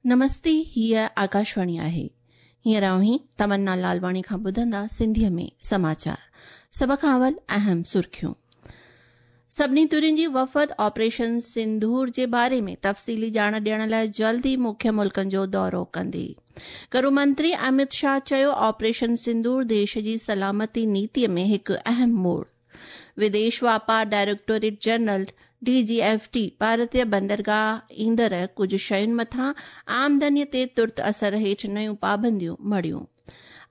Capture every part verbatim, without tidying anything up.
नमस्ते, हीअ आकाशवाणी आहे। हींअर अव्हीं तमन्ना लालवाणी खां ॿुधंदा सिंधीअ में समाचार। सभ खां अवल अहम सुर्खियूं। सभिनी धुरियुनि जी वफ़द ऑपरेशन सिंदूर जे बारे में तफ़सीली ॼाण ॾियण लाइ जल्द ई मुख्य मुल्कनि जो दौरो कंदी। गृह मंत्री अमित शाह चयो, ऑपरेशन सिंदूर देश जी सलामती नीतीअ में हिकु अहम मोड़। विदेश वापार directorate general D G F T भारतीय बंदरगाह ईंदड़ कुझु शयुनि मथां आमदनीअ ते तुर्त असर हेठि नयूं पाबंदियूं मढ़ियूं।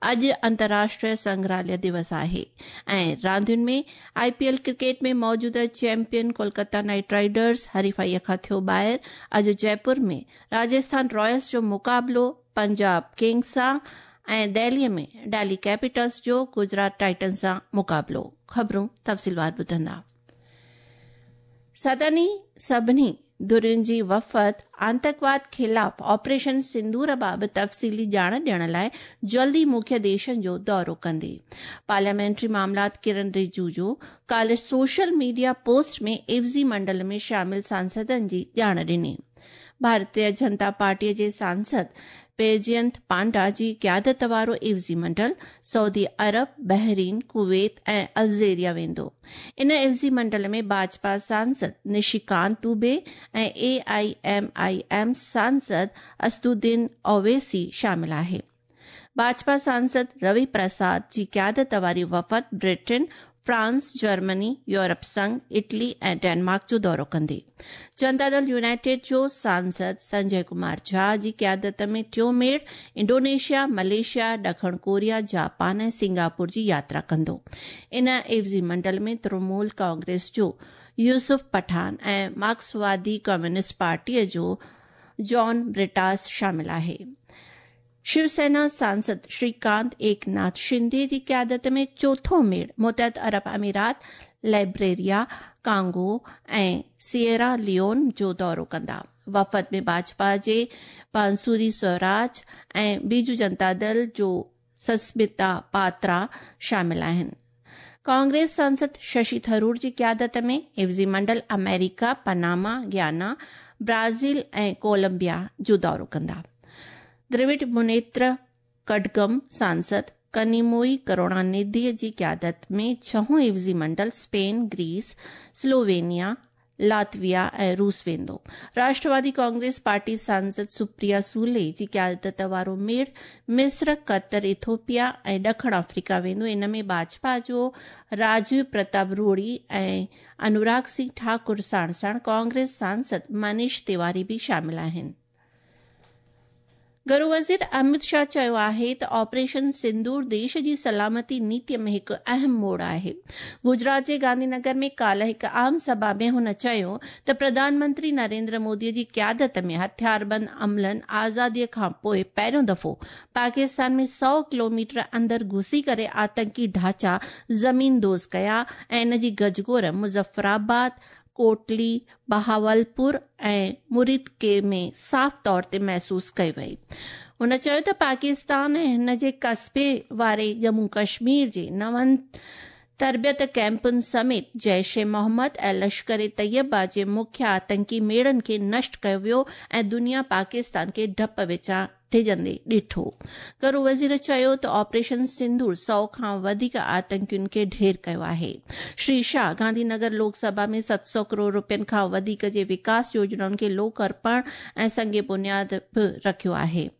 अॼु अंतर्राष्ट्रीय संग्रहालय दिवस आहे। ऐं रांदियुनि में I P L cricket में मौजूदा चैंपियन कोलकाता नाइट राइडर्स हरीफाईअ खां थियो ॿाहिरि। अॼु जयपुर में राजस्थान रॉयल्स जो मुक़ाबिलो पंजाब किंग्स सां ऐं दिल्लीअ में दिल्ली कैपिटल्स जो गुजरात टाइटन्स सां मुक़ाबिलो। ख़बरूं तफ़सीलवार ॿुधंदा। सदनी सभिनी धुरियुनि जी वफ़द आतंकवाद ख़िलाफ़ ऑपरेशन सिंदूर बाबति तफ़सीली ॼाण ॾियण लाइ जल्द ई मुख्य देशनि जो दौरो कंदी। पार्लियामेंट्री मामलात किरण रिजिजू काल्ह सोशल मीडिया पोस्ट में इवज़ी मंडल में शामिल सांसदनि जी ॼाण ॾिनी। भारतीय जनता पार्टीअ जे सांसद बैजयंत पांडा जी क़यादत वारो इवज़ी मंडल सऊदी अरब, बहरीन, कुवैत ऐं अल्जेरिया वेंदो। इन इवज़ी मंडल में भाजपा सांसद निशिकांत दुबे ऐं ए I am I am सांसद असदुद्दीन ओवैसी शामिल आहे। भाजपा सांसद रवि प्रसाद जी क़यादत वारी वफ़द ब्रिटेन, फ्रांस, जर्मनी, यूरोप संघ, इटली ऐं डेनमार्क जो दौरो कंदी। जनता दल यूनाइटेड जो सांसद संजय कुमार झा जी क़यादत में टियों मेड़ इंडोनेशिया, मलेशिया, ॾखण कोरिया, जापान ऐं सिंगापुर जी यात्रा कंदो। इन इवज़ी मंडल में तृणमूल कांग्रेस जो यूसुफ पठान ऐं मार्क्सवादी कम्युनिस्ट पार्टीअ जो जॉन ब्रिटास शामिल आहे। शिवसेना सांसद श्रीकांत एकनाथ शिंदे जी क़यादत में चोथों मेड़ मुतहद अरब अमीरात, लाइबेरिया, कांगो ऐं सिएरा लियोन जो दौरो कंदा। वफ़द में भाजपा जे बांसुरी स्वराज ऐं बीजू जनता दल जो सस्मिता पात्रा शामिल आहिनि। कांग्रेस सांसद शशि थरूर जी क़यादत में इवज़ी मंडल अमेरिका, पनामा, ग्याना, ब्राज़ील ऐं कोलंबिया जो दौरो कंदा। द्रविड़ मुनेत्र कड़गम सांसद कनिमोई करुणानिधि जी क़यादत में छहों इवज़ी मंडल स्पेन, ग्रीस, स्लोवेनिया, लातविया ऐं रूस वेंदो। राष्ट्रवादी कांग्रेस पार्टी सांसद सुप्रिया सूले जी क़यादत वारो मेड़ मिस्र, कतर, इथोपिया ऐं ॾखण अफ्रीका वेंदो। इन में भाजपा जो राजीव प्रताप रूडी ऐं अनुराग सिंह ठाकुर साण साण कांग्रेस सांसद मनीष तिवारी बि शामिल आहिनि। गृह वज़ीर अमित शाह चयो आहे त ऑपरेशन सिंदूर देश जी सलामती नीतीअ में हिकु अहम मोड़ आहे। गुजरात जे गांधीनगर में काल्ह हिकु आम सभा में हुन चयो त प्रधानमंत्री नरेंद्र मोदीअ जी क़यादत में हथियारबंद अमलनि आज़ादीअ खां पोइ पहिरियों दफ़ो पाकिस्तान में सौ किलोमीटर अंदरि घुसी करे आतंकी ढांचा ज़मीन those कया ऐं इन जी गजगोर मुज़फ़राबाद, कोटली, बहावलपुर ऐं मुरीदके में साफ़ तौर ते महसूस कई वई। हुन चयो त पाकिस्तान ऐं हिन जे क़स्बे वारे जम्मू कश्मीर जे नवनि तरबियत कैंपनि समेत जैश ए मोहम्मद ऐं लश्कर ए तैयबा जे मुख्य आतंकी मेड़नि खे नष्ट कयो वियो ऐं दुनिया पाकिस्तान खे ढप विचां डिॼंदे ॾिठो। गृह वज़ीर चयो त ऑपरेशन सिंदूर सौ खां वधीक आतंकियुनि खे ढेर कयो आहे। श्री शाह गांधीनगर लोकसभा में सत सौ करोड़ रुपयनि खां वधीक जे विकास योजनाउनि खे लोक अर्पण ऐं संग बुनियाद बि रखियो आहे।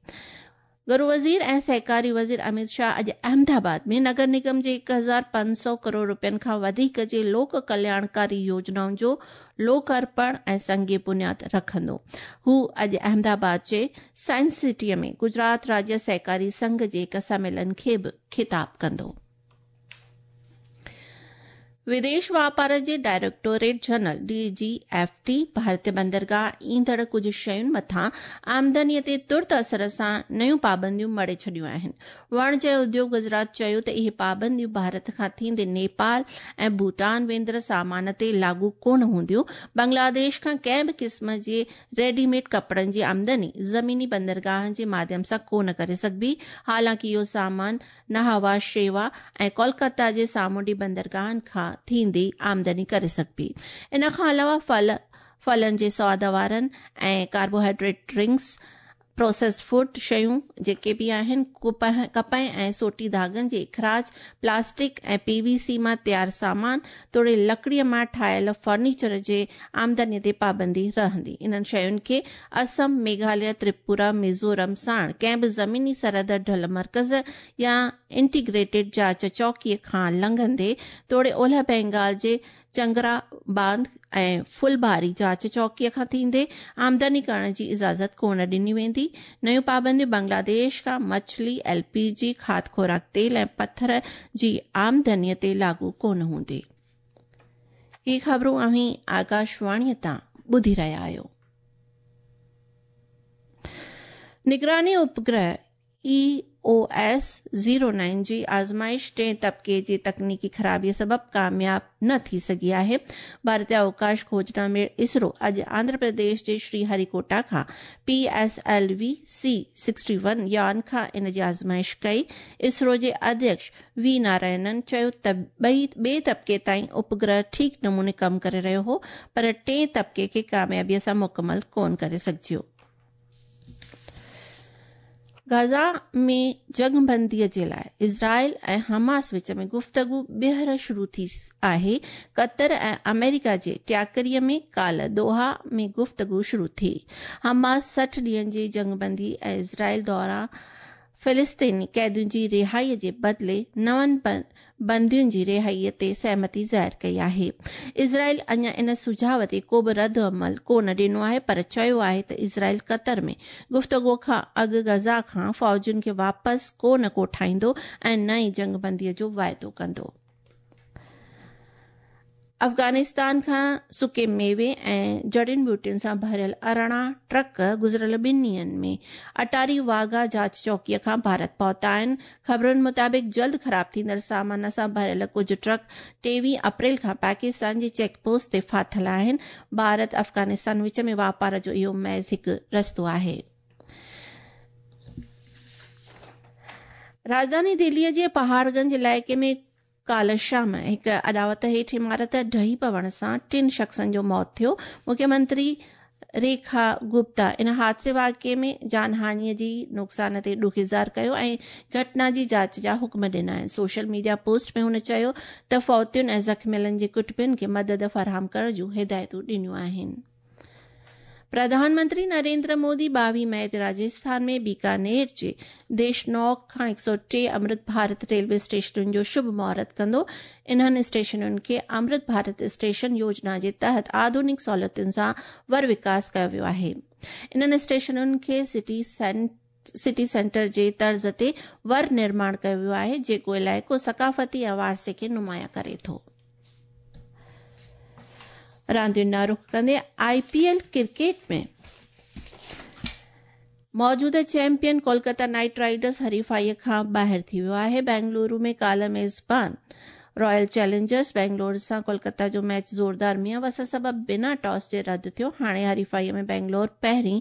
गृह वज़ीर ऐं सहकारी वज़ीर अमित शाह अॼु अहमदाबाद में नगर निगम जे हिकु हज़ार पंज सौ करोड़ रुपयनि खां वधीक जे लोक कल्याणकारी योजनाउनि जो लोक अर्पण ऐं संग बुनियाद रखंदो। हू अॼु अहमदाबाद जे साइंस सिटीअ में गुजरात राज्य सहकारी संघ जे हिकु सम्मेलन खे बि ख़िताब कंदो। विदेश वापार जे directorate general D G F T भारतीय बंदरगाह ईंदड़ कुझु शयुनि मथां आमदनीअ ते तुर्त असर सां नयूं पाबंदियूं मढ़े छॾियूं आहिनि। वाणिज्य उद्योग गुजरात चयो त इहे पाबंदियूं भारत खां थींदे नेपाल ऐं भूटान वेंदड़ सामान ते लागू कोन हूंदियूं। बांग्लादेश खां कंहिं बि क़िस्म जे रेडीमेड कपिड़नि जी आमदनी ज़मीनी बंदरगाहनि जे माध्यम सां कोन करे सघिबी। हालांकि इहो सामान नहावा शेवा ऐं कोलकाता जे सामुंडी बंदरगाहनि खां थींदी आमदनी करे सघिबी। इन खां अलावा फल, फलनि जे स्वाद वारनि ऐं कार्बोहाइड्रेट ड्रिंक्स, प्रोसेस फूड शयूं जेके बि आहिनि, कपह ऐं सोटी धागनि जे इख़राज, प्लास्टिक ऐं पीवीसी मां तयार सामान तोड़े लकड़ीअ मां ठाहियल फर्नीचर जे आमदनीअ ते पाबंदी रहंदी। इन्हनि शयुनि खे असम, मेघालय, त्रिपुरा, मिज़ोरम साण कंहिं बि ज़मीनी सरहद ढल मर्कज़ या इंटीग्रेटेड जांच चौकीअ खां लंघंदे तोड़े ओलह बंगाल जे चंगरा बांध ऐं फुलबारी जांच चौकीअ खां थींदे आमदनी करण जी इजाज़त कोन ॾिनी वेंदी। नयूं पाबंदियूं बांग्लादेश खां मछली, एलपीजी, खाद खुराक तेल ऐं पथर जी आमदनीअ ते लागू कोन हूंदी। ही ख़बरूं अव्हीं आकाशवाणीअ तां ॿुधी रहिया आहियो। निगरानी उपग्रह E O S zero nine जी आज़माइश टे तबके जी तकनीकी ख़राबीअ सबबि कामयाब न थी सघी आहे। भारतीय अवकाश खोजना में इसरो अॼु आंध्र प्रदेश जे श्रीहरिकोटा खां P S L V C sixty one यान खां इन जी आज़माइश कई। इसरो जे अध्यक्ष we Narayanan चयो त ॿई ॿिए तबके ताईं उपग्रह ठीकु नमूने कमु करे रहियो हो, पर टे तबके खे कामयाबीअ सां मुकमल कोन करे सघिजो। गाज़ा में जंगबंदीअ जे लाइ इज़राइल ऐं हमास विच में गुफ़्तगू ॿीहर शुरू थी आहे। क़तर ऐं अमेरिका जे टियाकरीअ में काल्ह दोहा में गुफ़्तगू शुरू थी। हमास सठि ॾींहनि जी जंगबंदी ऐं इज़राइल दौरान फ़िलिस्तीनी क़ैदियुनि जी रिहाईअ जे बदिले नवनि बंदियुनि जी रिहाईअ ते सहमति ज़ाहिर कई आहे। इज़राइल अञा इन सुझाव ते को बि रद्द अमल कोन ॾिनो आहे, पर चयो आहे त इज़राइल क़तर में गुफ़्तगू खां अॻु गज़ा खां फ़ौजुनि खे वापसि कोन कोठाईंदो ऐं न ई जंगबंदीअ जो वाइदो कंदो। अफ़गानिस्तान खां सुके मेवे ऐं जड़ियुनि ॿूटियुनि सां भरियल अरिड़हं ट्रक गुज़िरियल ॿिनि ॾींहंनि में अटारी वाघा जांच चौकीअ खां भारत पहुता आहिनि। ख़बरुनि मुताबिक़ जल्द ख़राब थींदड़ सामान सां भरियल कुझु ट्रक टेवीह अप्रैल खां पाकिस्तान जे चेक पोस्ट ते फाथिल आहिनि। भारत अफ़गानिस्तान विच में वापार जो इहो महज़ हिकु रस्तो आहे। राजधानी दिल्लीअ जे पहाड़गंज इलाइक़े में काल्ह शाम हिकु अॾावत हेठि इमारत ढही पवण सां टिनि शख़्सनि जो मौत थियो। मुख्यमंत्री रेखा गुप्ता इन हादसे वाक़िए में जानहानीअ जी नुक़सान ते ॾुख इज़हार कयो ऐं घटना जी जांच जा हुक्म ॾिना आहिनि। सोशल मीडिया पोस्ट में हुन चयो त फौतियुनि ऐं ज़ख़्मियलनि जे कुटुंबनि खे मदद फराहम करण जूं हिदायतूं ॾिनियूं आहिनि। प्रधानमंत्री नरेंद्र मोदी ॿावीह मई ते राजस्थान में बीकानेर जे देशनौक खां हिकु सौ टे अमृत भारत रेलवे स्टेशनुनि जो शुभ मुहूर्त कंदो। इन्हनि स्टेशनुनि खे अमृत भारत स्टेशन योजना जे तहत आधुनिक सहूलियतुनि सां वर विकास कयो वियो आहे। इन्हनि स्टेशनुनि खे सिटी सिटी सेंटर जे तर्ज़ ते वर निर्माण कयो वियो आहे, जेको इलाइक़ो सकाफ़ती ऐं वारसे खे नुमायां करे थो। रांदियुनि ॾांहुं रुख कंदे आईपीएल क्रिकेट में मौजूदा चैंपियन कोलकाता नाइट राइडर्स हरीफाईअ खां ॿाहिरि थी वियो आहे। बेंगलुरु में काल्ह मेज़बान रॉयल चैलेंजर्स बेंगलोर सां कोलकाता जो मैच ज़ोरदार मींहुं वस सबबि बिना टॉस जे रद्द थियो। हाणे हरीफाईअ में बेंगलोर पहिरीं,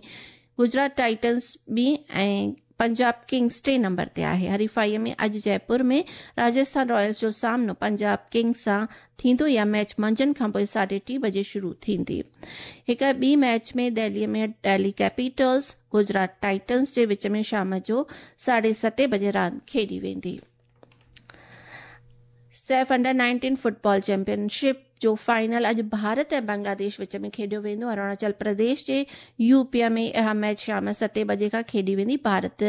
गुजरात टाइटन्स ॿी ऐं पंजाब किंग्स टे नंबर ते आहे। हरीफाईअ में अॼु जयपुर में राजस्थान रॉयल्स जो सामनो पंजाब किंग्स सां थींदो। इहा मैच मंझंदि खां पोइ साढे टे बजे शुरू थींदी। हिकु ॿी मैच में दिल्लीअ में दिल्ली कैपिटल्स गुजरात टाइटन्स जे विच में शाम जो साढे सते बजे रांदि खेॾी वेंदी। Saif under nineteen football championship जो फाइनल अॼु भारत ऐं बांग्लादेश विच में खेॾियो वेंदो। अरुणाचल प्रदेश जे यूपीअ में इहा मैच शाम सते बजे खां खेॾी वेंदी। भारत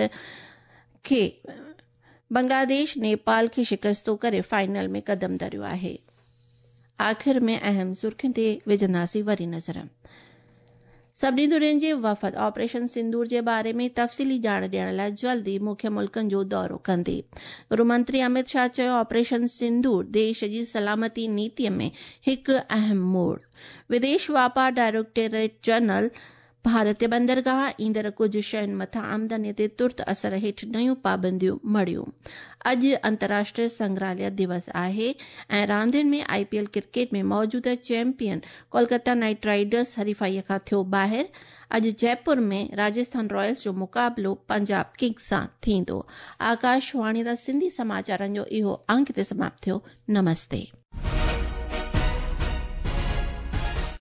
खे बांग्लादेश नेपाल खे शिकस्तो करे फाइनल में कदम धरियो आहे। आख़िर में अहम सुर्खियुनि ते विझंदासीं वरी नज़र। सभिनी धुरियुनि जे वफ़द ऑपरेशन सिंदूर जे बारे में तफ़सीली ॼाण ॾियण लाइ जल्द ई मुख्य मुल्कनि जो दौरो कंदे। गृहमंत्री अमित शाह चयो ऑपरेशन सिंदूर देश जी सलामती नीतीअ में हिकु अहम मोड़। विदेश वापार डायरेक्टरेट जनरल भारतीय बंदरगाह ईंदड़ कुझु शयुनि मथां आमदनी ते तुर्त असर हेठि नयूं पाबंदियूं मढ़ियूं। अॼु अंतर्राष्ट्रीय संग्रहालय दिवस आहे ऐं रांदियुनि में आईपीएल क्रिकेट में मौजूदा चैंपियन कोलकाता नाइट राइडर्स हरीफाईअ खां थियो ॿाहिरि। अॼु जयपुर में राजस्थान रॉयल्स जो मुक़ाबिलो पंजाब किंग्स सां थींदो। आकाशवाणी तां सिंधी समाचारनि जो इहो अंक हिते समाप्त थियो। नमस्ते।